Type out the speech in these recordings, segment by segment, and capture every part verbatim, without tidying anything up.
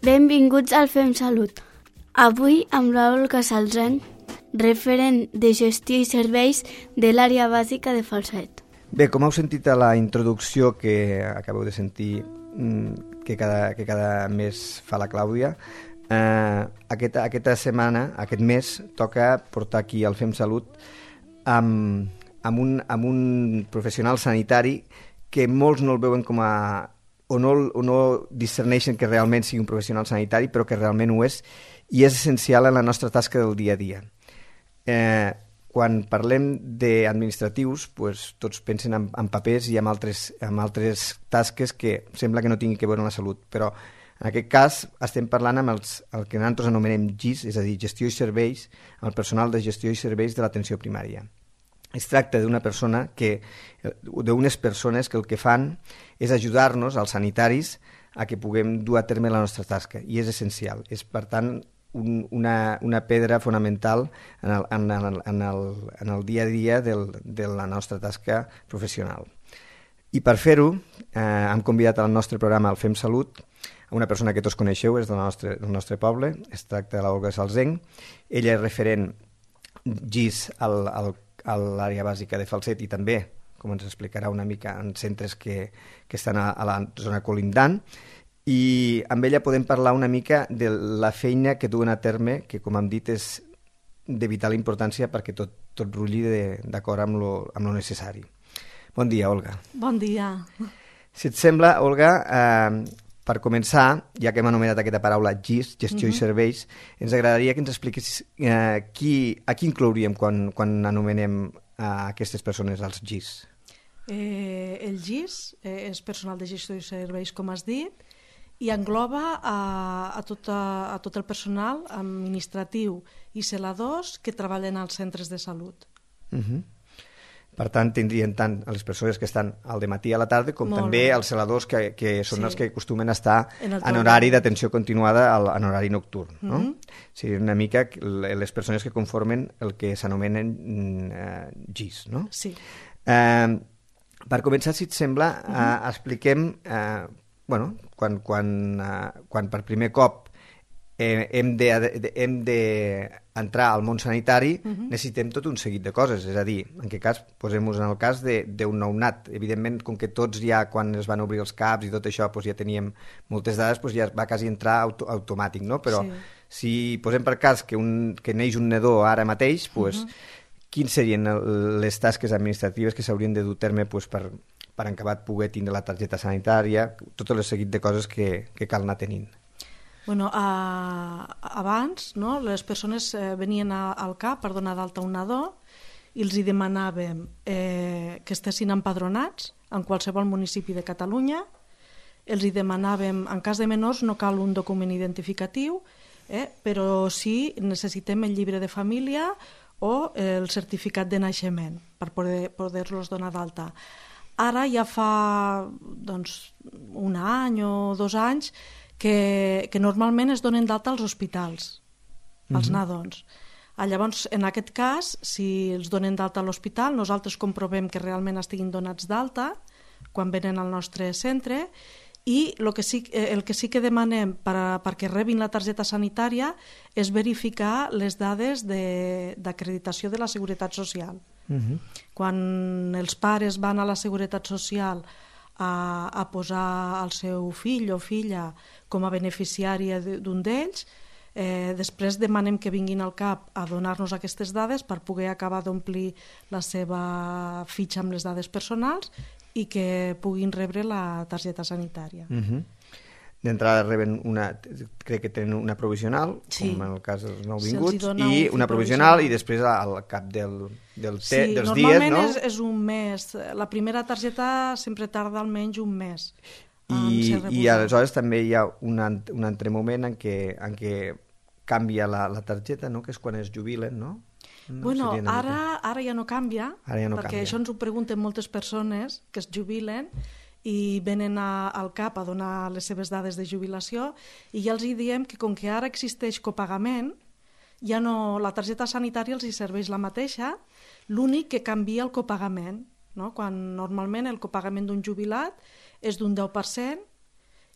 Benvinguts al Fem Salut. Avui amb l'Olga Salzén, referent de gestió i serveis de l'àrea bàsica de Falset. Bé, com heu sentit a la introducció que acabeu de sentir que cada, que cada mes fa la Clàudia, eh, aquesta, aquesta setmana, aquest mes, toca portar aquí al Fem Salut amb, amb, un, amb un professional sanitari que molts no el veuen com a... o no, o no discerneixen que realment sigui un professional sanitari, però que realment ho és, i és essencial en la nostra tasca del dia a dia. Eh, quan parlem d'administratius, pues, tots pensen en, en papers i en altres, en altres tasques que sembla que no tinguin que veure amb la salut, però en aquest cas estem parlant amb els, el que nosaltres anomenem G I S, és a dir, gestió i serveis, el personal de gestió i serveis de l'atenció primària. Es tracta d'una persona que, d'unes persones que el que fan és ajudar-nos, als sanitaris, a que puguem dur a terme la nostra tasca, i és essencial. És, per tant, un, una, una pedra fonamental en el, en el, en el, en el dia a dia del, de la nostra tasca professional. I per fer-ho, eh, hem convidat al nostre programa al Fem Salut a una persona que tots coneixeu, és del nostre, del nostre poble, es tracta de l'Olga Salzén. Ella és referent G I S al, al a l'àrea bàsica de Falset i també, com ens explicarà una mica, en centres que, que estan a, a la zona colindant, i amb ella podem parlar una mica de la feina que duen a terme, que com hem dit és de vital importància perquè tot, tot rulli d'acord amb lo, amb lo necessari. Bon dia, Olga. Bon dia. Si et sembla, Olga, eh, per començar, ja que hem anomenat aquesta paraula G I S, gestió uh-huh. i serveis, ens agradaria que ens expliquis eh, qui, a qui inclouríem quan, quan anomenem a aquestes persones als G I S. Eh, el G I S eh, és personal de gestió i serveis, com has dit, i engloba a, a, tot, a, a tot el personal administratiu i celadors que treballen als centres de salut. Uh-huh. Per tant, tindrien tant a les persones que estan al dematí a la tarda com Molt també bé. Els celadors que, que són sí. els que acostumen a estar en, en horari d'atenció continuada al, en horari nocturn. Mm-hmm. No? Seria una mica les persones que conformen el que s'anomenen eh, G I S. No? Sí. Eh, per començar, si et sembla, mm-hmm. eh, expliquem, eh, bueno, quan, quan, eh, quan per primer cop eh, hem de, de, hem de entrar al món sanitari, uh-huh. necessitem tot un seguit de coses, és a dir, en què cas, posem-nos en el cas d'un nounat. Evidentment, com que tots ja, quan es van obrir els caps i tot això, doncs ja teníem moltes dades, doncs ja va quasi entrar auto automàtic, no? Però sí. si posem per cas que, un, que neix un nadó ara mateix, doncs, uh-huh. quines serien les tasques administratives que s'haurien de dur a terme doncs, per, per acabat poder tindre la targeta sanitària, tot el seguit de coses que, que cal anar tenint. Bueno, a, abans no, les persones eh, venien a, al C A P per donar d'alta un nadó i els hi demanàvem eh, que estessin empadronats en qualsevol municipi de Catalunya. Els hi demanàvem, en cas de menors no cal un document identificatiu, eh, però sí necessitem el llibre de família o el certificat de naixement per poder, poder-los donar d'alta. Ara ja fa doncs, un any o dos anys Que, que normalment es donen d'alta als hospitals, als uh-huh. nadons. Ah, llavors, en aquest cas, si els donen d'alta a l'hospital, nosaltres comprovem que realment estiguin donats d'alta quan venen al nostre centre i el que sí, el que, sí que demanem per a, perquè rebin la targeta sanitària és verificar les dades d'acreditació de, de la Seguretat Social. Uh-huh. Quan els pares van a la Seguretat Social A, a posar el seu fill o filla com a beneficiària d'un d'ells, eh, després demanem que vinguin al C A P a donar-nos aquestes dades per poder acabar d'omplir la seva fitxa amb les dades personals i que puguin rebre la targeta sanitària. Uh-huh. D'entrada reben una, crec que tenen una provisional, sí. com en el cas dels nouvinguts, i una provisional, provisional i després al cap del, del te, sí, dels dies, no? Sí, normalment és, és un mes. La primera targeta sempre tarda almenys un mes. I, i aleshores també hi ha un, un altre moment en què, en què canvia la, la targeta, no? Que és quan es jubilen, no? no bueno, ara, ara ja no canvia, ara ja no perquè canvia. Això ens ho pregunten moltes persones que es jubilen i venen a, al C A P a donar les seves dades de jubilació i ja els hi diem que com que ara existeix copagament, ja no, la targeta sanitària els hi serveix la mateixa, l'únic que canvia el copagament, no? Quan normalment el copagament d'un jubilat és d'un deu per cent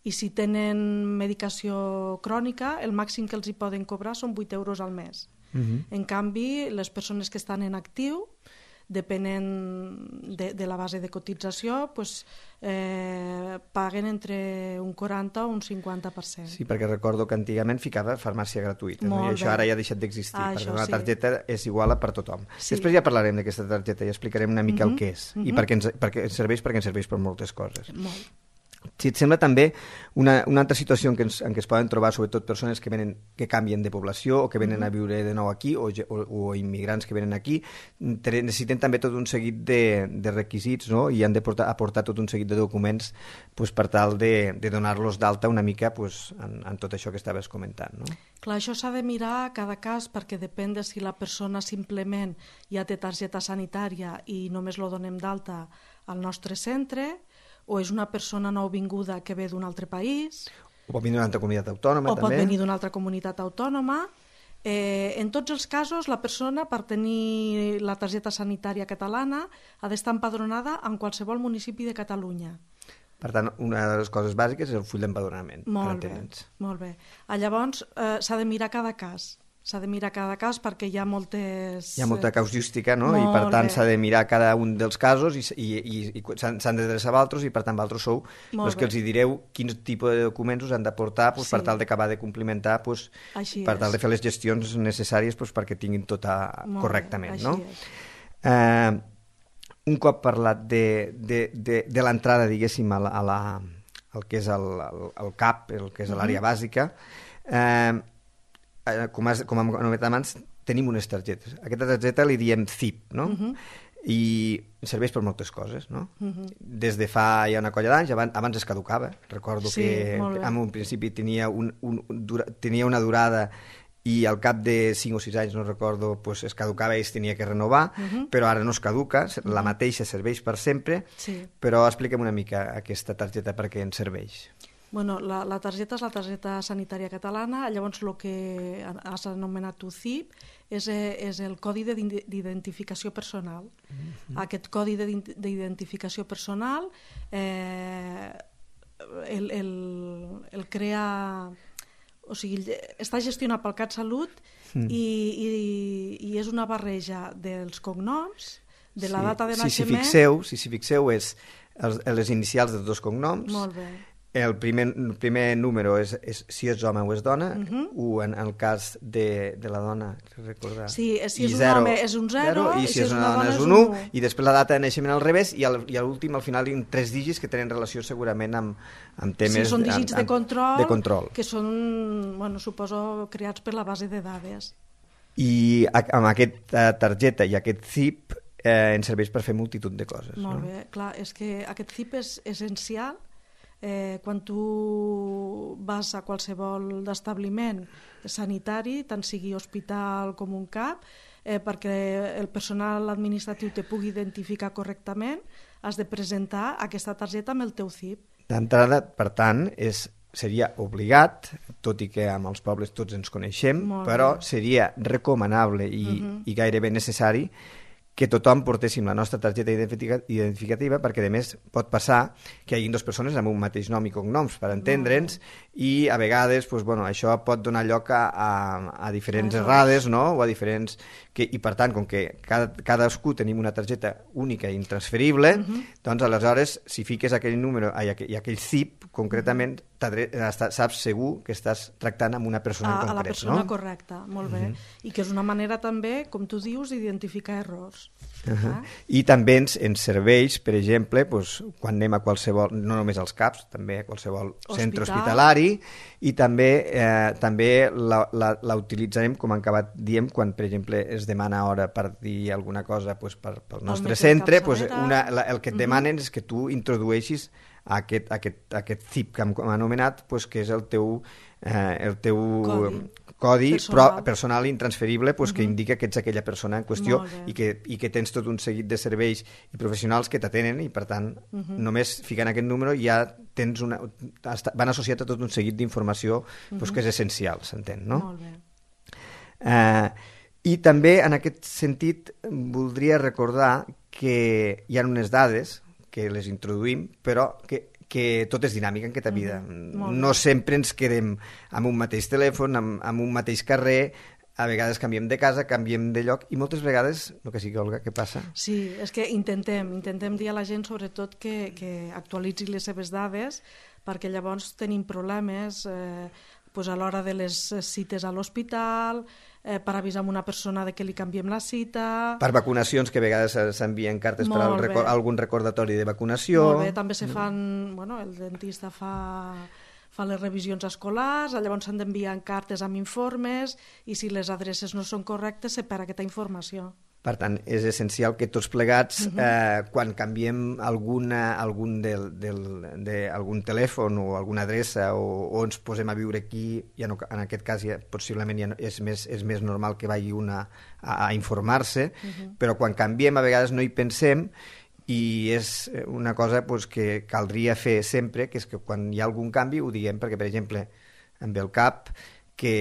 i si tenen medicació crònica, el màxim que els hi poden cobrar són vuit euros al mes. Uh-huh. En canvi, les persones que estan en actiu, depenent de, de la base de cotització, pues, eh, paguen entre un quaranta o un cinquanta per cent. Sí, perquè recordo que antigament ficava farmàcia gratuïta, no? I això ara ja ha deixat d'existir, ah, perquè una sí. targeta és igual per tothom. Sí. Després ja parlarem d'aquesta targeta i explicarem una mica uh-huh. el que és uh-huh. i per què ens, per què ens serveix, perquè ens serveix per moltes coses. Molt. Si et sembla també una, una altra situació en què, ens, en què es poden trobar sobretot persones que, venen, que canvien de població o que venen a viure de nou aquí o, o, o immigrants que venen aquí, necessiten també tot un seguit de, de requisits, no? I han de portar, aportar tot un seguit de documents pues, per tal de, de donar-los d'alta una mica pues, en, en tot això que estaves comentant. No? Clar, això s'ha de mirar a cada cas perquè depèn de si la persona simplement ja té targeta sanitària i només lo donem d'alta al nostre centre, o és una persona nouvinguda que ve d'un altre país. O pot venir d'una altra comunitat autònoma, o també. O pot venir d'una altra comunitat autònoma. Eh, en tots els casos, la persona, per tenir la targeta sanitària catalana, ha d'estar empadronada en qualsevol municipi de Catalunya. Per tant, una de les coses bàsiques és el full d'empadronament. Molt bé, molt bé. Llavors, eh, s'ha de mirar cada cas. S'ha de mirar cada cas perquè hi ha moltes... Hi ha molta causística, no? I per tant s'ha de mirar cada un dels casos i, i, i, i s'han d'adreçar a altres i per tant vosaltres sou els que els hi direu quin tipus de documents us han de portar pues, sí. per tal d'acabar de complimentar, pues, per tal de fer les gestions necessàries pues, perquè tinguin tot a... correctament. No? Eh, un cop parlat de, de, de, de l'entrada, diguéssim, a la, a la, el que és el, el, el C A P, el que és l'àrea uh-huh. bàsica, eh, com, has, com hem anomenat abans, tenim unes targetes. Aquesta targeta li diem C I P, no? Uh-huh. I serveix per moltes coses, no? Uh-huh. Des de fa ja una colla d'anys, abans, abans es caducava. Recordo sí, que en un principi tenia, un, un, dura, tenia una durada i al cap de cinc o sis anys, no recordo, pues es caducava i es tenia que renovar, uh-huh. però ara no es caduca, la mateixa serveix per sempre, sí. Però expliquem una mica aquesta targeta per què ens serveix. Bueno, la, la targeta és la targeta sanitària catalana, llavors el que has anomenat tu C I P és, és el codi d'identificació personal. Mm-hmm. Aquest codi d'identificació personal eh, el, el, el crea... O sigui, està gestionat pel CatSalut mm. i, i, i és una barreja dels cognoms, de la sí. data de naixement... Si s'hi fixeu, si s'hi fixeu és els, les inicials dels dos cognoms. Molt bé. El primer, el primer número és, és si és home o és dona, uh-huh. o en el cas de, de la dona, recordar. Sí, si és un zero, home és un zero, i si, si és una dona és un u, i després la data de naixement al revés, i, el, i a l'últim, al final, hi ha tres dígits que tenen relació segurament amb, amb temes... Sí, són dígits amb, amb, de, control, de control, que són, bueno, suposo, creats per la base de dades. I amb aquesta targeta i aquest C I P eh, ens serveix per fer multitud de coses. Molt no? bé, clar, és que aquest C I P és essencial. Eh, quan tu vas a qualsevol establiment sanitari, tant sigui hospital com un C A P, eh, perquè el personal administratiu te pugui identificar correctament, has de presentar aquesta targeta amb el teu C I P. D'entrada, per tant, és, seria obligat, tot i que amb els pobles tots ens coneixem, però seria recomanable i, uh-huh. i gairebé necessari que tothom portéssim la nostra targeta identificativa, perquè a més pot passar que hi hagi dues persones amb un mateix nom i cognoms per entendre'ns, i a vegades pues, bueno, això pot donar lloc a, a, a diferents errades, no? O a diferents... Que, i per tant, com que cada, cadascú tenim una targeta única i intransferible, uh-huh. doncs aleshores si fiques aquell número i aquell, i aquell C I P concretament, saps segur que estàs tractant amb una persona a, en concret. A la persona no? correcta, molt bé. Uh-huh. I que és una manera també, com tu dius, d'identificar errors. Uh-huh. Ah? I també ens, ens serveix, per exemple, doncs, quan anem a qualsevol, no només als C A Ps, també a qualsevol Hospital. Centre hospitalari, i també, eh, també la, la, la utilitzarem, com han acabat diem, quan, per exemple, es demana hora per dir alguna cosa pues, per, pel nostre centre, pues, una, la, el que et demanen uh-huh. és que tu introdueixis aquest, aquest, aquest C I P que hem anomenat, pues, que és el teu, eh, el teu codi, codi personal. Pro, personal intransferible pues, uh-huh. que indica que ets aquella persona en qüestió i que, i que tens tot un seguit de serveis i professionals que t'atenen i per tant uh-huh. només ficant aquest número ja tens una, van associat a tot un seguit d'informació uh-huh. pues, que és essencial, s'entén, no? Molt bé. Eh, I també en aquest sentit voldria recordar que hi ha unes dades que les introduïm però que que tot és dinàmic en aquesta vida. Mm-hmm. No sempre ens quedem amb un mateix telèfon, amb, amb un mateix carrer, a vegades canviem de casa, canviem de lloc, i moltes vegades, el que sigui, Olga, què passa? Sí, és que intentem, intentem dir a la gent sobretot que, que actualitzi les seves dades, perquè llavors tenim problemes eh, pues a l'hora de les cites a l'hospital, eh, per avisar a una persona de que li canviem la cita... Per vacunacions, que a vegades s'envien cartes per al record, algun recordatori de vacunació... Molt bé, també se fan... Bueno, el dentista fa... fa les revisions escolars, llavors s'han d'enviar cartes amb informes i si les adreces no són correctes se perd aquesta informació. Per tant, és essencial que tots plegats, uh-huh. eh, quan canviem alguna, algun, del, del, de, algun telèfon o alguna adreça o, o ens posem a viure aquí, ja no, en aquest cas ja, possiblement ja no, és, més, és més normal que vagi una a, a informar-se, uh-huh. però quan canviem a vegades no hi pensem i és una cosa pues, que caldria fer sempre, que és que quan hi ha algun canvi ho diguem, perquè, per exemple, amb el C A P, que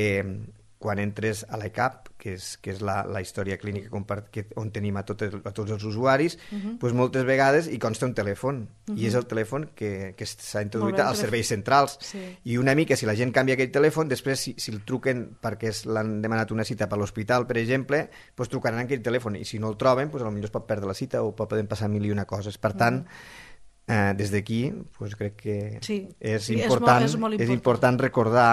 quan entres a l'E C A P, que és, que és la, la història clínica que, on tenim a, tot, a tots els usuaris, uh-huh. pues moltes vegades hi consta un telèfon, uh-huh. i és el telèfon que, que s'ha introduït als serveis centrals. Sí. I una mica, si la gent canvia aquell telèfon, després, si, si el truquen perquè l'han demanat una cita per l'hospital, per exemple, pues trucaran aquell telèfon, i si no el troben, pues potser es pot perdre la cita o poden passar mil i una coses. Per tant, uh-huh. eh, des d'aquí, pues crec que sí. és, sí, important, és, molt, és, molt important. és important recordar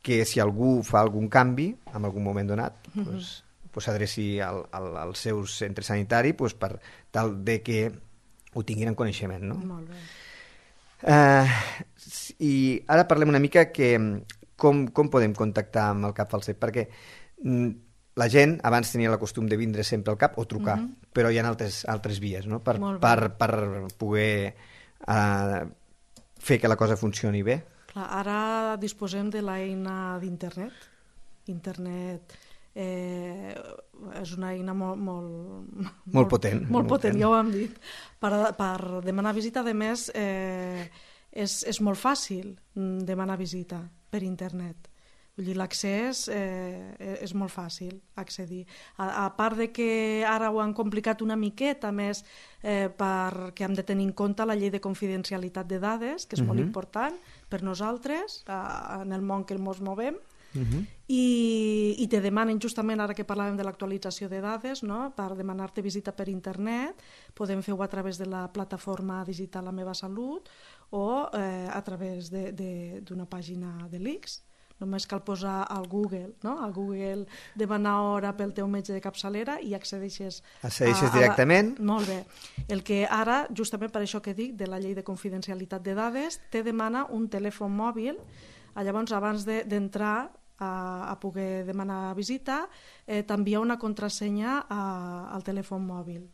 que si algú fa algun canvi en algun moment donat, uh-huh. pues, pues s'adreci al, al, al seu centre sanitari pues, per tal de que ho tinguin en coneixement. No? Molt bé. Uh, I ara parlem una mica que com, com podem contactar amb el C A P Falset, perquè mm, la gent abans tenia el costum de vindre sempre al C A P o trucar, uh-huh. però hi ha altres, altres vies no? per, per, per poder uh, fer que la cosa funcioni bé. Clar, ara disposem de l'eina d'internet. Internet eh, és una eina molt... Molt, molt, molt potent. Molt, molt potent, ja ho hem dit. Per, per demanar visita, a més, eh, és, és molt fàcil demanar visita per internet. Vull dir, l'accés eh, és molt fàcil accedir. A, a part de que ara ho han complicat una miqueta més eh, perquè hem de tenir en compte la llei de confidencialitat de dades, que és uh-huh. molt important per nosaltres, a, en el món que ens movem, uh-huh. i, i te demanen justament, ara que parlàvem de l'actualització de dades, no? Per demanar-te visita per internet, podem fer-ho a través de la plataforma digital La Meva Salut o eh, a través d'una pàgina de l'I C S. Només cal posar al Google, no? Al Google demanar hora pel teu metge de capçalera i accedeixes... Accedeixes a, a directament? La... Molt bé. El que ara, justament per això que dic, de la llei de confidencialitat de dades, te demana un telèfon mòbil. Llavors, abans d'entrar de, a, a poder demanar visita, eh, t'envia una contrasenya a, al telèfon mòbil.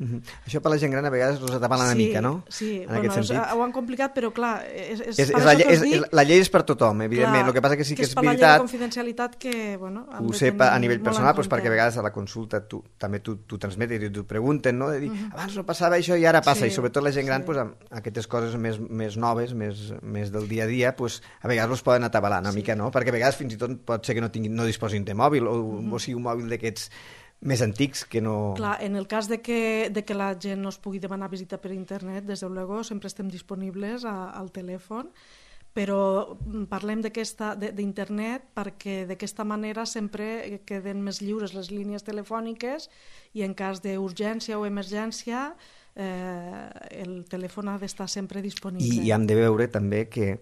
Uh-huh. Això per la gent gran a vegades els atapala una sí, mica, no? Sí, en bueno, és, ho han complicat, però clar, és, és, és, és, la, és, és, la llei és per tothom, evidentment. El que passa que sí que, que és, és veritat... per la llei de confidencialitat que, bueno... Ho sé a nivell personal, doncs perquè a vegades a la consulta tu, també tu, tu transmetes i t'ho pregunten, no? De dir, uh-huh. abans no passava això i ara passa, sí, i sobretot la gent gran, sí. pues, amb aquestes coses més, més noves, més, més del dia a dia, pues, a vegades els poden atabalar una sí. mica, no? Perquè a vegades fins i tot pot ser que no, tinguin, no disposin de mòbil o, uh-huh. o sigui un mòbil d'aquests més antics que no... Clar, en el cas de que, de que la gent no es pugui demanar visita per internet, des de luego sempre estem disponibles a, al telèfon, però parlem d'internet perquè d'aquesta manera sempre queden més lliures les línies telefòniques i en cas d'urgència o emergència eh, el telèfon ha d'estar sempre disponible. I, i hem de veure també que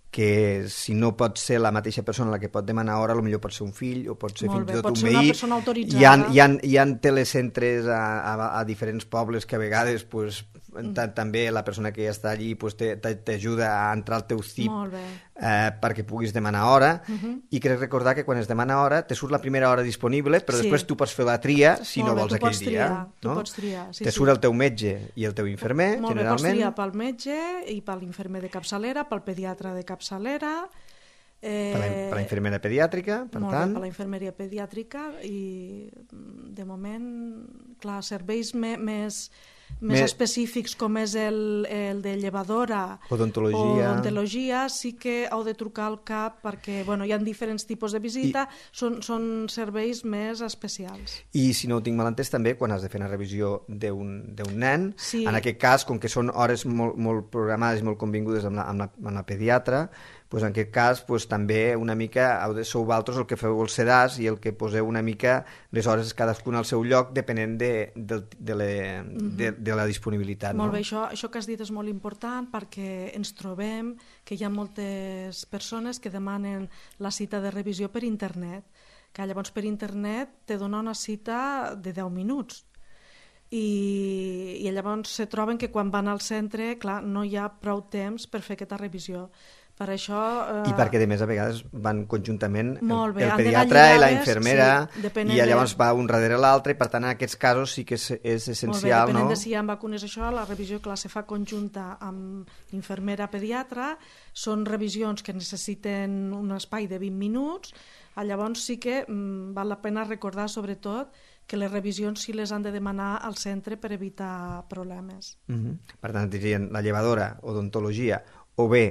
que si no pot ser la mateixa persona la que pot demanar hora, potser pot ser un fill o pot ser Molt fins bé, i tot pot un ser veí. una persona autoritzada. Hi ha, hi ha, hi ha telecentres a, a, a diferents pobles que a vegades pues, mm. també la persona que ja està allí pues, t'ajuda a entrar al teu C I P eh, perquè puguis demanar hora uh-huh. i crec recordar que quan es demana hora te surt la primera hora disponible però sí. després tu pots fer la tria si Molt no bé, vols aquell triar, dia. Tu no? pots triar. Sí, te sí. surt el teu metge i el teu infermer, Molt generalment. Bé, pots triar pel metge i per l'infermer de capçalera, pel pediatre de capçalera. Eh, per, la, per la infermera pediàtrica, per molt tant... Bé, per la infermeria pediàtrica i de moment, clar, serveis me, més, més Me... específics com és el, el de llevadora odontologia. o odontologia, sí que heu de trucar al C A P perquè bueno, hi ha diferents tipus de visita, I... són, són serveis més especials. I si no ho tinc mal entès també, quan has de fer una revisió d'un nen, sí. en aquest cas, com que són hores molt, molt programades i molt convingudes amb la, amb la, amb la pediatra, pues en aquest cas pues, també una mica sou vosaltres el que feu els sedars i el que poseu una mica les hores cadascun al seu lloc depenent de, de, de, le, mm-hmm. de, de la disponibilitat. Molt no? bé, això, això que has dit és molt important perquè ens trobem que hi ha moltes persones que demanen la cita de revisió per internet, que llavors per internet te dona una cita de deu minuts. I, i llavors se troben que quan van al centre, clar, no hi ha prou temps per fer aquesta revisió. Per això, eh... I perquè, de més, a vegades van conjuntament el, bé, el pediatre i la infermera, sí, i llavors va un darrere l'altre, i per tant, en aquests casos sí que és, és essencial. Molt bé, depenent no? de si hi ha vacunes, això, la revisió que la se fa conjunta amb infermera-pediatra, són revisions que necessiten un espai de vint minuts, llavors sí que mm, val la pena recordar, sobretot, que les revisions sí les han de demanar al centre per evitar problemes. Mm-hmm. Per tant, dirien la llevadora, odontologia, o bé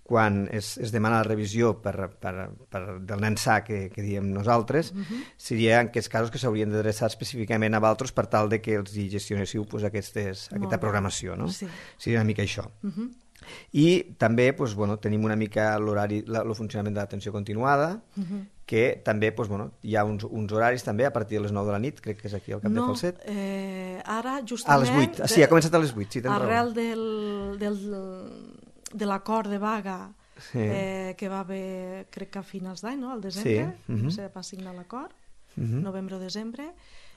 quan es, es demana la revisió per, per, per del nen sa que, que diem nosaltres, uh-huh. seria en aquests casos que s'haurien d'adreçar específicament a vosaltres per tal de que els hi gestionéssiu pues, aquestes, aquesta programació. No? Sí. Seria una mica això. Uh-huh. I també pues, bueno, tenim una mica l'horari, el funcionament de l'atenció continuada, uh-huh. que també pues, bueno, hi ha uns, uns horaris també a partir de les nou de la nit, crec que és aquí al cap no, de Falset. Eh, ara, justament... A les vuit, sí, ha començat a les vuit, sí, tens arrel raó. del, del, de l'acord de vaga sí. eh, que va haver, crec que a finals d'any, no? Al desembre, sí. uh-huh. se va signar l'acord, uh-huh. novembre o desembre.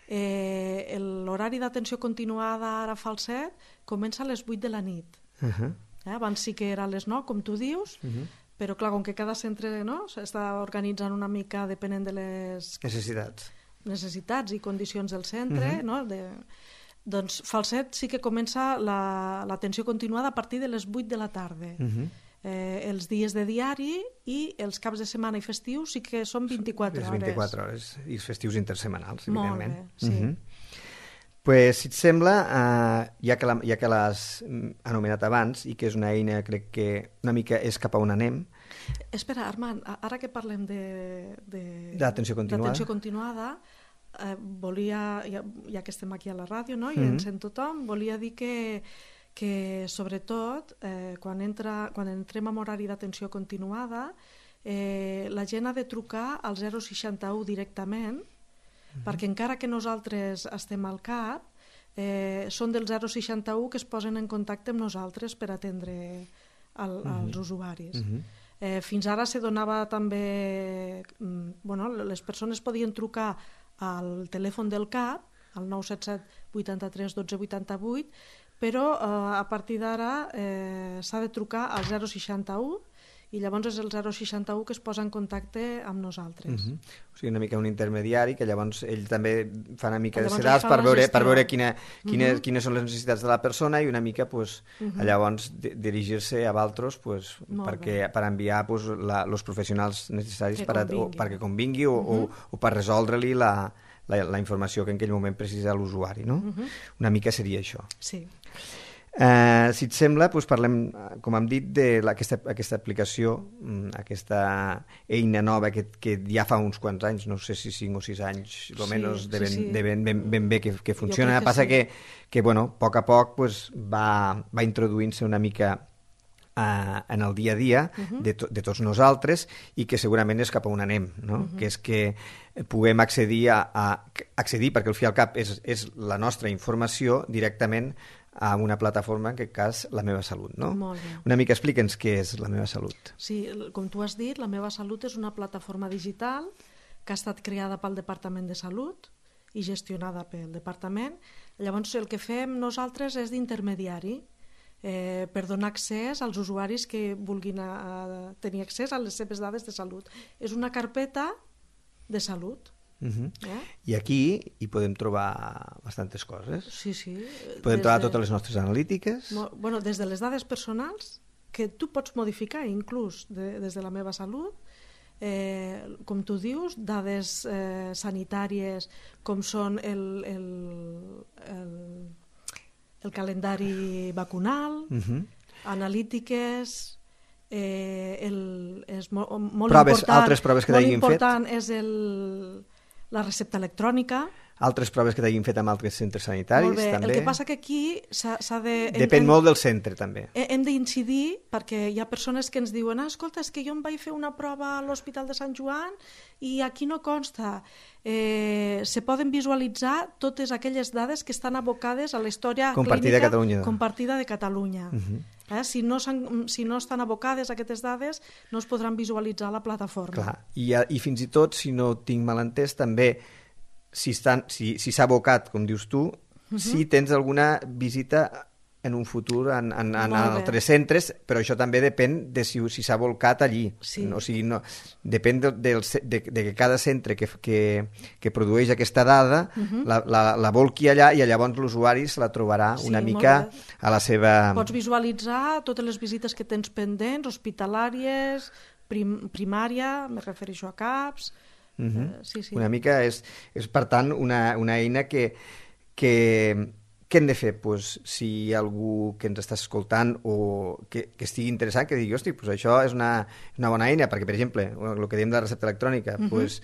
Eh, l'horari d'atenció continuada ara a Falset comença a les vuit de la nit. Uh-huh. Eh, abans sí que era a les nou, com tu dius, uh-huh. però clar, com que cada centre no, s'està organitzant una mica depenent de les necessitats, necessitats i condicions del centre, uh-huh. no? de... doncs Falset sí que comença l'atenció la, continuada a partir de les vuit de la tarda. Uh-huh. eh, els dies de diari i els caps de setmana i festius sí que són vint-i-quatre hores. vint-i-quatre hores, i els festius intersetmanals, molt evidentment. Bé, sí. Uh-huh. Pues, si et sembla, eh, ja que la, ja que l'has anomenat abans i que és una eina, crec que una mica és cap a on anem. Espera, Armand, ara que parlem de, de, d'atenció continuada, continuada eh, volia, ja, ja que estem aquí a la ràdio, no? I mm-hmm. ens sent tothom, volia dir que, que sobretot, eh, quan, entra, quan entrem en horari d'atenció continuada, eh, la gent ha de trucar al zero seixanta-u directament, Mm-hmm. perquè encara que nosaltres estem al C A P, eh, són del zero seixanta-u que es posen en contacte amb nosaltres per atendre el, mm-hmm. els usuaris. Mm-hmm. Eh, fins ara se donava també... Bueno, les persones podien trucar al telèfon del C A P, al nou set set vuitanta-tres dotze vuitanta-vuit, però eh, a partir d'ara eh, s'ha de trucar al zero seixanta-u i llavors és el zero seixanta-u que es posa en contacte amb nosaltres. Uh-huh. O sigui, una mica un intermediari que llavors ell també fa una mica llavors de sedals per veure, per veure quina, quines, uh-huh. quines són les necessitats de la persona i una mica pues, uh-huh. llavors di- dirigir-se a vosaltres pues, perquè, per enviar pues, la, els professionals necessaris que per a, o, convingui. perquè convingui o, uh-huh. o, o per resoldre-li la, la, la informació que en aquell moment precisa l'usuari. No? Uh-huh. Una mica seria això. Sí. Uh, si et sembla, doncs parlem, com hem dit, de la, aquesta, aquesta aplicació, aquesta eina nova que, que ja fa uns quants anys, no sé si cinc o sis anys, almenys sí, de, ben, sí, sí. de ben, ben, ben bé que, que funciona. Que Passa sí. que, que, bueno, a poc a poc pues, va, va introduint-se una mica uh, en el dia a dia uh-huh. de, to, de tots nosaltres i que segurament és cap a on anem, no? Uh-huh. Que és que puguem accedir a, a accedir, perquè al fi al cap és, és la nostra informació directament a una plataforma, en aquest cas, La Meva Salut, no? Molt bé. Una mica explica'ns què és La Meva Salut. Sí, com tu has dit, La Meva Salut és una plataforma digital que ha estat creada pel Departament de Salut i gestionada pel Departament. Llavors, el que fem nosaltres és d'intermediari eh, per donar accés als usuaris que vulguin a, a tenir accés a les seves dades de salut. És una carpeta de salut. Uh-huh. Eh? I aquí hi podem trobar bastantes coses. Sí, sí. Podem Des trobar de... totes les nostres analítiques. Mo... Bueno, des de les dades personals, que tu pots modificar inclús de, des de La Meva Salut, eh, com tu dius, dades eh, sanitàries com són el, el, el, el calendari vacunal, uh-huh. analítiques, eh, el, és molt, molt proves, important, altres proves que molt t'hagin important fet? És el, la recepta electrònica. Altres proves que t'hagin fet amb altres centres sanitaris, molt bé. també. El que passa que aquí s'ha de... Depèn hem, molt del centre, també. Hem d'incidir, perquè hi ha persones que ens diuen ah, escolta, és que jo em vaig fer una prova a l'Hospital de Sant Joan i aquí no consta. Eh, se poden visualitzar totes aquelles dades que estan abocades a la història compartida clínica de Catalunya. compartida de Catalunya. Uh-huh. eh, si, no si no estan abocades aquestes dades, no es podran visualitzar a la plataforma. Clar. I, i fins i tot, si no tinc mal entès, també si s'ha si, si abocat, com dius tu, uh-huh. si tens alguna visita en un futur en, en, en altres centres, però això també depèn de si si s'ha volcat allí. Sí. O sigui, no, depèn de, de, de, de que cada centre que, que, que produeix aquesta dada uh-huh. la, la, la volqui allà i llavors l'usuari se la trobarà sí, una mica a la seva... Pots visualitzar totes les visites que tens pendents, hospitalàries, prim, primària, me refereixo a CAPs... Uh-huh. uh, sí, sí. Una mica és, és per tant, una, una eina que... que Què hem de fer? Pues, si hi ha algú que ens està escoltant o que, que estigui interessant, que digui, hosti, pues això és una, una bona eina, perquè, per exemple, el que diem de la recepta electrònica, uh-huh. pues,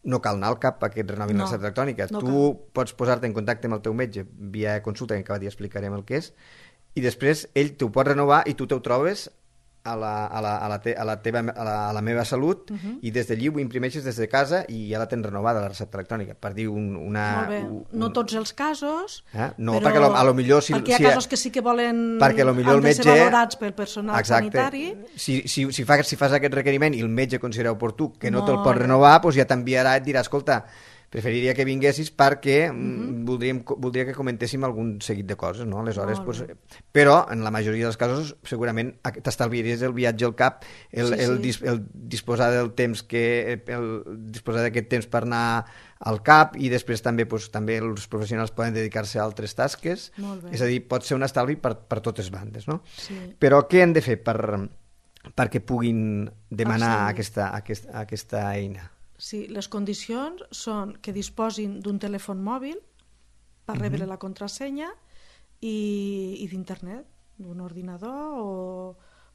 no cal anar al cap a que et renovin no, la recepta electrònica. No tu cal. Pots posar-te en contacte amb el teu metge via consulta, que cada dia explicarem el que és, i després ell t'ho pot renovar i tu te'l trobes a la, a la, a la, te, a la, teva, a la, a la meva salut uh-huh. i des d'allí ho imprimeixes des de casa i ja la tens renovada, la recepta electrònica, per dir un, una... Molt bé. Un, no tots els casos, eh? No, però perquè lo, a lo millor... Si, perquè hi ha si, casos que sí que volen perquè a lo millor han el de metge, ser valorats pel personal exacte, sanitari. Si, si, si, fa, si fas aquest requeriment i el metge considera oportú que no te'l pot renovar, doncs ja t'enviarà i et dirà, escolta, preferiria que vinguessis perquè uh-huh. voldríem, voldria que comentéssim algun seguit de coses, no? Aleshores, pues, però en la majoria dels casos segurament t'estalviaries el viatge al cap, el, sí, el, sí. Dis, el disposar del temps que el disposar d'aquest temps per anar al cap i després també, pues, també els professionals poden dedicar-se a altres tasques, és a dir, pot ser un estalvi per, per totes bandes, no? Sí. Però què hem de fer per, perquè puguin demanar ah, sí. aquesta, aquesta, aquesta eina? Sí, les condicions són que disposin d'un telèfon mòbil per rebre uh-huh. la contrasenya i, i d'internet, d'un ordinador o,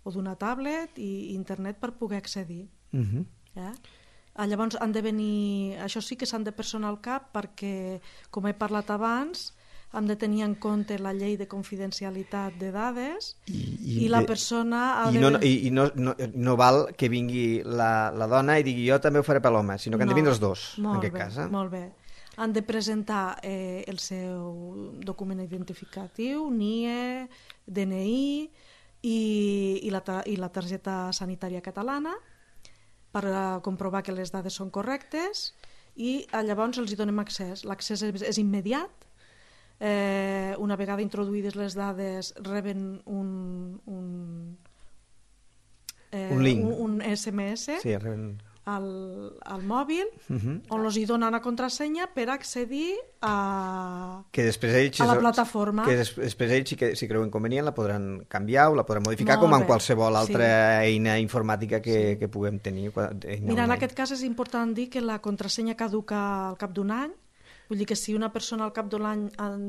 o d'una tablet i internet per poder accedir. Uh-huh. eh? Llavors han de venir, això sí que s'han de personar al cap perquè, com he parlat abans, hem de tenir en compte la llei de confidencialitat de dades i, i, i la persona... Ha I, de... no, i, i no, no, no val que vingui la, la dona i digui jo també ho faré per l'home, sinó que han no, de vindre els dos, en aquest bé, cas. Eh? Molt bé. Han de presentar eh, el seu document identificatiu, N I E, D N I i, i, la, i la targeta sanitària catalana per uh, comprovar que les dades són correctes i uh, llavors els hi donem accés. L'accés és, és immediat. Eh, una vegada introduïdes les dades reben un un, eh, un link, un, un S M S sí, reben... al, al mòbil uh-huh. on els hi donen una contrasenya per accedir a, que després ells, a la plataforma que des, després ells si, que, si creuen convenient la podran canviar o la podran modificar Molt com en bé. Qualsevol altra sí. eina informàtica que, sí. que puguem tenir. Mira, online. En aquest cas és important dir que la contrasenya caduca al cap d'un any. Vull dir que si una persona al cap de l'any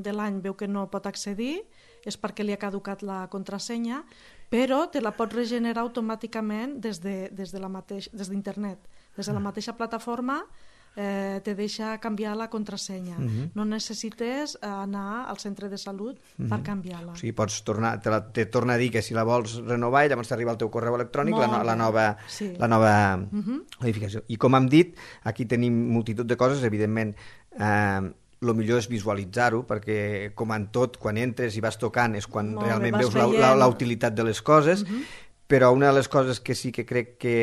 de l'any veu que no pot accedir és perquè li ha caducat la contrasenya, però te la pots regenerar automàticament des de, des de la mateix, des d'internet. Des de la mateixa plataforma eh, te deixa canviar la contrasenya. Uh-huh. No necessites anar al centre de salut uh-huh. per canviar-la. O sigui, pots tornar, te, la, te torna a dir que si la vols renovar i llavors t'arriba al teu correu electrònic la, no, la nova, sí. la nova uh-huh. modificació. I com hem dit, aquí tenim multitud de coses, evidentment. Eh, el millor és visualitzar-ho, perquè com en tot, quan entres i vas tocant és quan Molt realment bé, veus la, la, la utilitat de les coses, uh-huh. però una de les coses que sí que crec que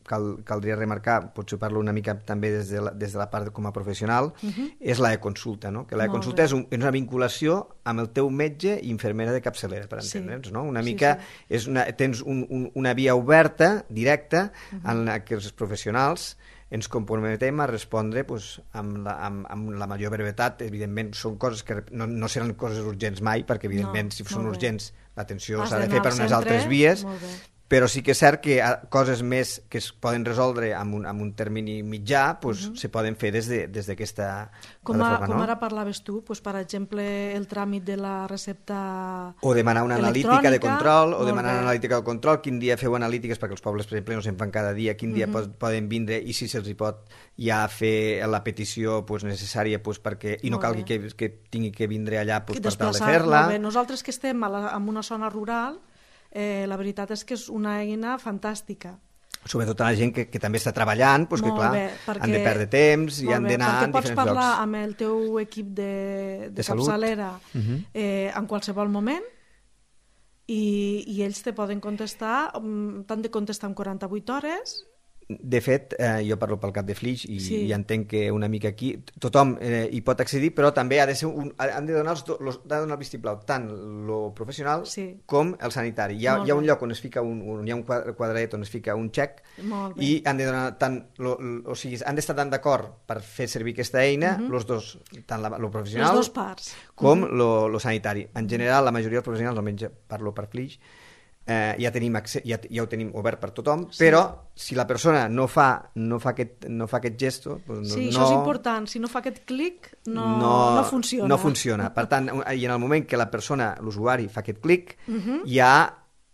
cal, caldria remarcar, potser parlo una mica també des de la, des de la part com a professional, uh-huh. és la e-consulta, no? Que la e-consulta és, un, és una vinculació amb el teu metge i infermera de capçalera, per entendre'ns, sí. no? Una mica sí, sí. És una, tens un, un, una via oberta, directa, uh-huh. en la que els professionals ens comprometem a respondre pues, amb, la, amb, amb la major brevetat. Evidentment, són coses que no, no seran coses urgents mai, perquè evidentment, no, si són urgents, l'atenció s'ha de fer per unes centre, altres vies, però sí que és cert que coses més que es poden resoldre amb un, amb un termini mitjà pues, uh -huh. se poden fer des d'aquesta de, com, a, plataforma. Com no? ara parlaves tu, pues, per exemple, el tràmit de la recepta o demanar una analítica de control, o demanar una analítica de control, quin dia feu analítiques, perquè els pobles, per exemple, no se'n fan cada dia, quin dia uh -huh. poden vindre i si se'ls hi pot ja fer la petició pues, necessària pues, perquè, i no molt calgui bé. que, que tingui que vindre allà pues, per tal de Desplaçar, fer-la. molt bé. Nosaltres que estem a la, en una zona rural, Eh, la veritat és que és una eina fantàstica. Sobretot a la gent que, que també està treballant, doncs que clar, bé, perquè, han de perdre temps i han d'anar en diferents llocs. Perquè pots parlar amb el teu equip de, de, de capçalera uh -huh. eh, en qualsevol moment i, i ells te poden contestar, t'han de contestar en quaranta-vuit hores. De fet, eh, jo parlo pel cap de Flix i, sí. i entenc que una mica aquí tothom eh, hi pot accedir, però també ha de ser un, han de donar, els, los, ha de donar el vistiplau tant lo professional sí. com el sanitari. Hi ha, hi ha un lloc on es fica un, un, hi ha un quadradet on es fica un xec i han de donar tant, lo, lo, o sigui, han d'estar tan d'acord per fer servir aquesta eina, uh -huh. los dos, tant la, lo professional les dues parts. com uh -huh. lo, lo sanitari. En general, la majoria dels professionals, almenys parlo per Flix, Eh, ja, tenim accés, ja, ja ho tenim obert per tothom, sí. però si la persona no fa, no fa, aquest, no fa aquest gesto... Doncs no, sí, això no, és important. Si no fa aquest clic, no, no, no funciona. No funciona. Per tant, i en el moment que la persona, l'usuari, fa aquest clic, uh -huh. ja,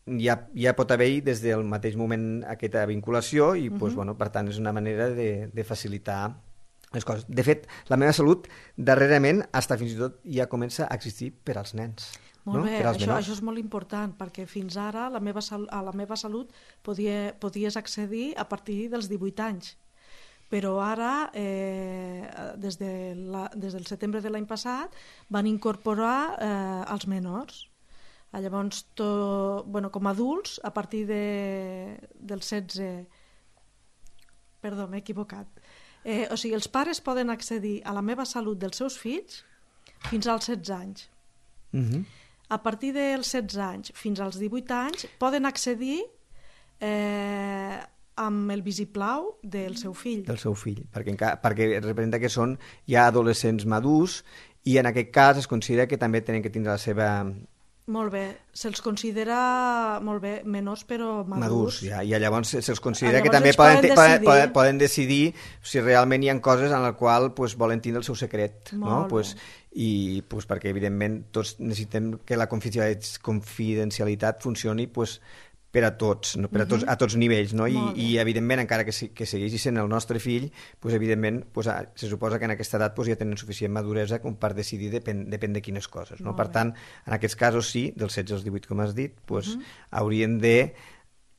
ja, ja pot haver-hi des del mateix moment aquesta vinculació i, uh -huh. doncs, bueno, per tant, és una manera de, de facilitar les coses. De fet, la meva salut, darrerament, fins i tot ja comença a existir per als nens. Molt no? bé, això, això és molt important, perquè fins ara la meva, a la meva salut podia, podies accedir a partir dels divuit anys. Però ara, eh, des, de la, des del setembre de l'any passat, van incorporar eh, els menors. Llavors, to, bueno, com a adults, a partir de, del setze... Perdó, m'he equivocat. Eh, o sigui, els pares poden accedir a la meva salut dels seus fills fins als setze anys. Mhm. A partir dels setze anys fins als divuit anys poden accedir eh, amb el vistiplau del seu fill. Del seu fill, perquè, perquè representa que són ja adolescents madurs i en aquest cas es considera que també tenen que tindre la seva... Molt bé, se'ls considera molt bé menors però madurs. Madurs, ja, i llavors se'ls considera llavors que també poden, poden, decidir. poden, poden decidir si realment hi ha coses en les quals pues, volen tindre el seu secret. Molt no? bé. Pues, i pues, perquè evidentment tots necessitem que la confidencialitat funcioni pues, per a tots, no? per a tots, a tots nivells, no? I, i evidentment encara que, que segueixi sent el nostre fill, pues, evidentment pues, se suposa que en aquesta edat pues, ja tenen suficient maduresa com per decidir depèn, depèn de quines coses, no? Per tant, en aquests casos sí, dels setze als divuit com has dit, pues, uh -huh. haurien de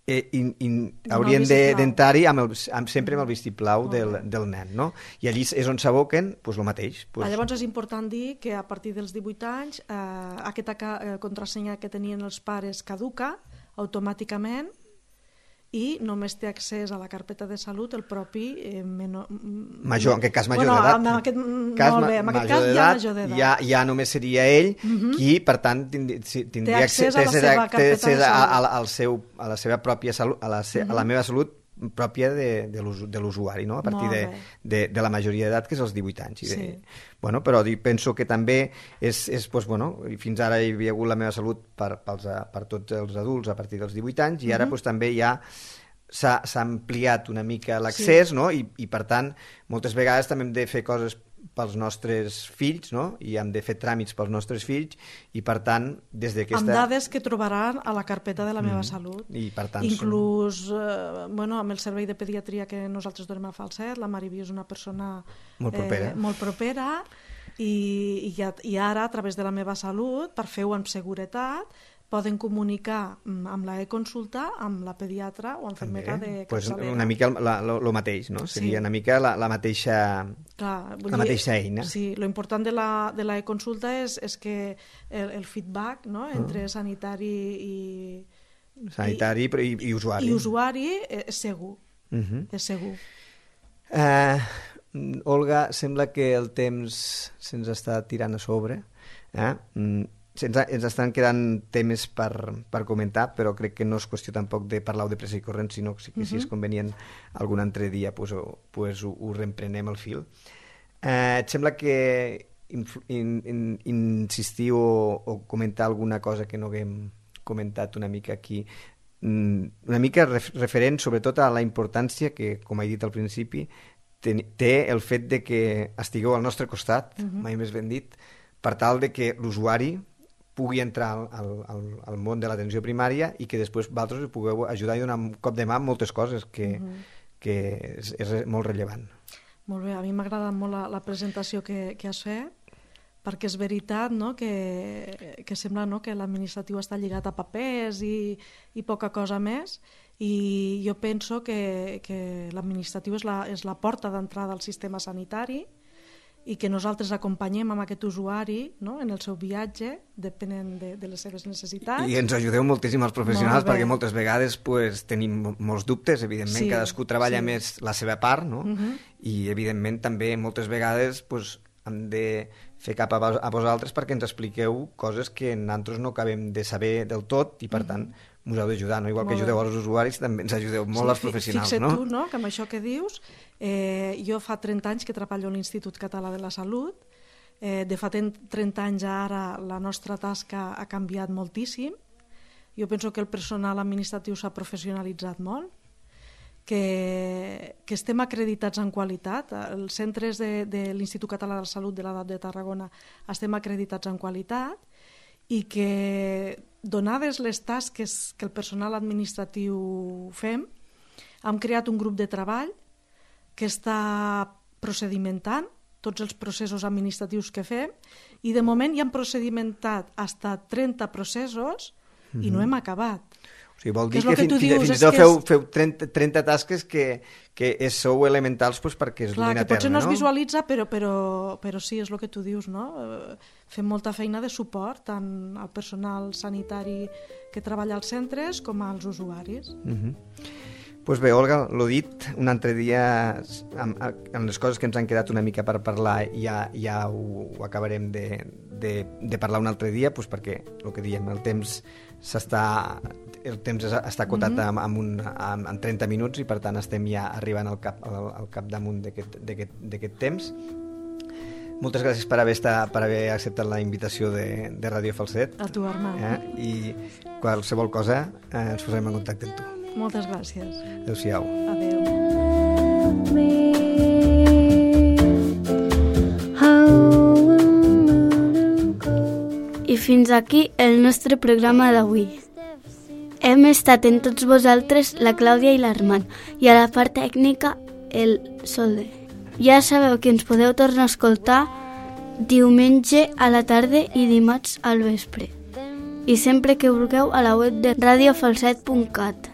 Eh, in, in, haurien d'entrar-hi amb el, amb, sempre amb el vistiplau del, del nen, no? I allí és on s'aboquen pues, el mateix. Pues... Llavors és important dir que a partir dels divuit anys eh, aquesta eh, contrasenya que tenien els pares caduca automàticament i només té accés a la carpeta de salut el propi eh, menor... major, en aquest cas major bueno, d'edat. En aquest, molt bé, en aquest cas ja major d'edat. Ja, ja només seria ell uh -huh. qui, per tant, tindria, tindria té accés a la seva carpeta de salut. A, a, al seu, a la seva pròpia salut, a la, se, uh -huh. a la meva salut pròpia de, de l'usuari, no? A partir de, de, de la majoria d'edat, que és els divuit anys. I de, sí. Bueno, però penso que també és, és pues, bueno, fins ara hi havia hagut la meva salut per, pels, per tots els adults a partir dels divuit anys i ara uh-huh. pues, també ja s'ha ampliat una mica l'accés, sí. no? I, i per tant moltes vegades també hem de fer coses pels nostres fills, no? I hem de fer tràmits pels nostres fills i per tant des d'aquesta... Amb dades que trobaran a la carpeta de la meva mm. salut. I per tant inclús són... eh, bueno, amb el servei de pediatria que nosaltres donem a Falset, la Mariví és una persona molt propera, eh, molt propera i, i, ja, i ara a través de la meva salut, per fer-ho amb seguretat, poden comunicar amb la e-consulta amb la pediatra o infermera de capçalera. Pues una mica el mateix, no? Seria sí. una mica la, la mateixa Clar, la dir, mateixa eina. Sí, l'important de la, de la e-consulta és, és que el, el feedback, no? Entre uh. sanitari i... Sanitari i, i, i usuari. I usuari és segur. Uh -huh. És segur. Uh, Olga, sembla que el temps se'ns està tirant a sobre. Eh? Mm. Ens, ens estan quedant temes per, per comentar, però crec que no és qüestió tampoc de parlar de pressa i corrent, sinó que, que si és convenient algun altre dia pues, o, pues, ho, ho reemprenem al fil. Eh, et sembla que in, in, in, insistir o, o comentar alguna cosa que no haguem comentat una mica aquí una mica referent sobretot a la importància que, com he dit al principi, té el fet de que estigueu al nostre costat, uh-huh. mai més ben dit, per tal de que l'usuari pugui entrar al, al, al món de l'atenció primària i que després vosaltres us pugueu ajudar i donar un cop de mà en moltes coses que, uh-huh. que és, és molt rellevant. Molt bé, a mi m'ha agradat molt la, la presentació que, que has fet, perquè és veritat, no?, que, que sembla, no?, que l'administratiu està lligat a papers i, i poca cosa més, i jo penso que, que l'administratiu és la, és la porta d'entrada al sistema sanitari i que nosaltres acompanyem amb aquest usuari, no?, en el seu viatge, depenent de, de les seves necessitats. I ens ajudeu moltíssim els professionals, perquè moltes vegades pues, tenim molts dubtes, evidentment, sí, cadascú treballa sí. més la seva part, no? Uh-huh. I evidentment també moltes vegades pues, hem de fer cap a, vos, a vosaltres perquè ens expliqueu coses que nosaltres no acabem de saber del tot i per uh-huh. tant us heu d'ajudar, no? Igual molt que ajudeu als usuaris, també ens ajudeu molt sí, als professionals. Fixa't no? tu, no?, que amb això que dius, eh, jo fa trenta anys que treballo a l'Institut Català de la Salut, eh, de fa trenta anys ara la nostra tasca ha canviat moltíssim, jo penso que el personal administratiu s'ha professionalitzat molt, que, que estem acreditats en qualitat, els centres de, de l'Institut Català de la Salut de l'Edat de Tarragona estem acreditats en qualitat i que donades les tasques que el personal administratiu fem, hem creat un grup de treball que està procedimentant tots els processos administratius que fem i de moment ja hem procedimentat fins a trenta processos mm-hmm. i no hem acabat. O sigui, vol dir que, que fins, fins i tot feu, feu trenta, trenta tasques que, que sou elementals pues, perquè es Clar, duguin a terme. Potser no es no? visualitza, però, però, però sí, és el que tu dius, no? Fem molta feina de suport tant al personal sanitari que treballa als centres com als usuaris. Uh-huh. Pues bé, Olga, l'ho dit, un altre dia, amb, amb les coses que ens han quedat una mica per parlar, ja, ja ho, ho acabarem de, de, de parlar un altre dia, pues perquè, el que diem, el temps s'està... el temps està acotat mm-hmm. amb, amb, un, amb, amb trenta minuts i per tant estem ja arribant al, cap, al, al capdamunt d'aquest temps. Moltes gràcies per haver, estat, per haver acceptat la invitació de, de Ràdio Falset. A tu, Armand. Eh? I qualsevol cosa eh, ens posarem en contacte amb tu. Moltes gràcies. Adéu-siau. Adéu. I fins aquí el nostre programa d'avui. Hem estat en tots vosaltres la Clàudia i l'Armand i a la part tècnica el Solde. Ja sabeu que ens podeu tornar a escoltar diumenge a la tarda i dimarts al vespre. I sempre que vulgueu a la web de radio falset punt cat.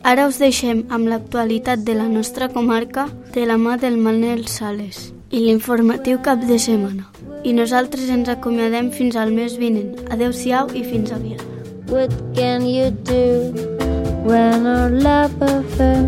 Ara us deixem amb l'actualitat de la nostra comarca de la mà del Manel Sales i l'informatiu cap de setmana. I nosaltres ens acomiadem fins al mes vinent. Adéu-siau i fins aviat. What can you do when our love affair